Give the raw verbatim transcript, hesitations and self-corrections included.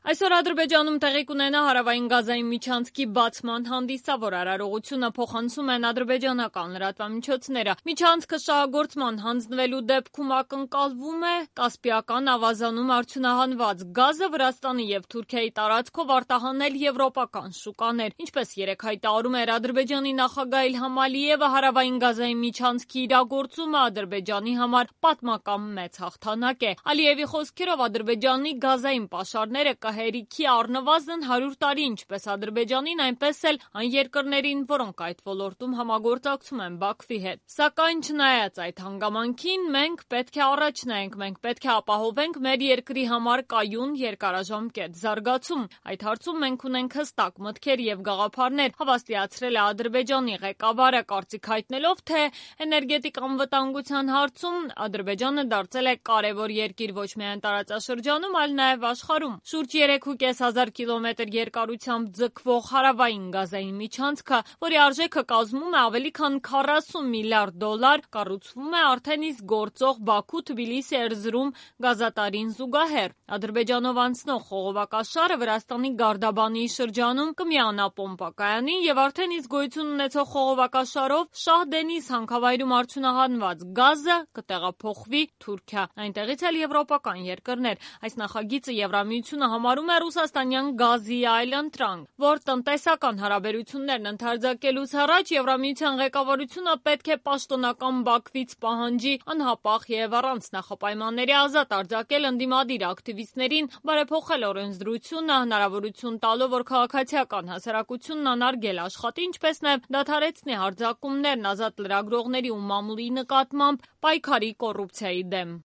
Այսօր Ադրբեջանում տեղի կունենա հարավային Գազայի միջանցքի բացման հանդիսա, որ արարողությունը փոխանցում են ադրբեջանական լրատվամիջոցները։ Միջանցքը շահագործման հանձնվելու դեպքում ակնկալվում է կասպիական ավազանում արդյունահանված գազը Վրաստանի եւ Թուրքիայի տարածքով արտահանել եվրոպական շուկաներ։ Ինչպես երեկ հայտարարում էր Ադրբեջանի նախագահ Իլհամ Ալիևը, հարավային Գազայի միջանցքի իրագործումը Ադրբեջանի համար պատմական մեծ հաղթանակ է։ Ալիևի խոսքերով Ադրբեջանի գազային պաշարները կհերիքի առնվազն հարյուր տարի ինչպես Ադրբեջանին, այնպես էլ այն երկրներին, որոնք այդ ոլորտում համագործակցում են Բաքվի հետ։ Սակայն չնայած այդ հանգամանքին, մենք պետք է առաջ նայենք, մենք պետք է ապահովենք մեր երկրի համար կայուն երկարաժամկետ զարգացում։ Այդ հարցում մենք ունենք հստակ մտքեր եւ գաղափարներ, հավաստիացրել է Ադրբեջանի ղեկավարը, կարծիք հայտնելով, թե էներգետիկ անվտանգության հարցում Ադրբեջանը դարձել է կարևոր երկիր ոչ միայն տարածաշրջանում, այլ նաեւ աշխարհում։ Շուրջ երեք ու կես հազար կիլոմետր երկարությամբ ձգվող հարավային Գազային միջանցքը, որի արժեքը կազմում է ավելի քան քառասուն միլիարդ դոլար, կառուցվում է արդեն իսկ գործող Բաքու-Թբիլիսի-Էրզրում գազատարին զուգահեռ։ Ադրբեջանով անցնող խողովակաշարը Վրաստանի Գարդաբանի շրջանում կմիանա պոմպակայանին եւ արդեն իսկ գոյություն ունեցող խողովակաշարով Շահ-Դենիզ հանքավայրում արդյունահանված գազը կտեղափոխվի Թուրքիա, այնտեղից էլ եվրոպական երկրներ։ Այս նախագիծը Եվրամիությունը համարում է ռուսաստանյան գազի այլընտրանք, որ տնտեսական հարաբերություններն ընդարձակելուց առաջ Եվրամիության ղեկավարությունը պետք է պաշտոնական Բաքվից պահանջի անհապաղ եւ առանց նախապայմանների ազատ արձակել ընդդիմադիր ակտիվիստներին, բարեփոխել օրենսդրությունը, հնարավորություն տալով, որ քաղաքացիական հասարակությունն անարգել աշխատի, ինչպես նաեւ դադարեցնի հարձակումներն ազատ լրագրողների ու մամուլի նկատմամբ, պայքարի կոռուպցիայի դեմ։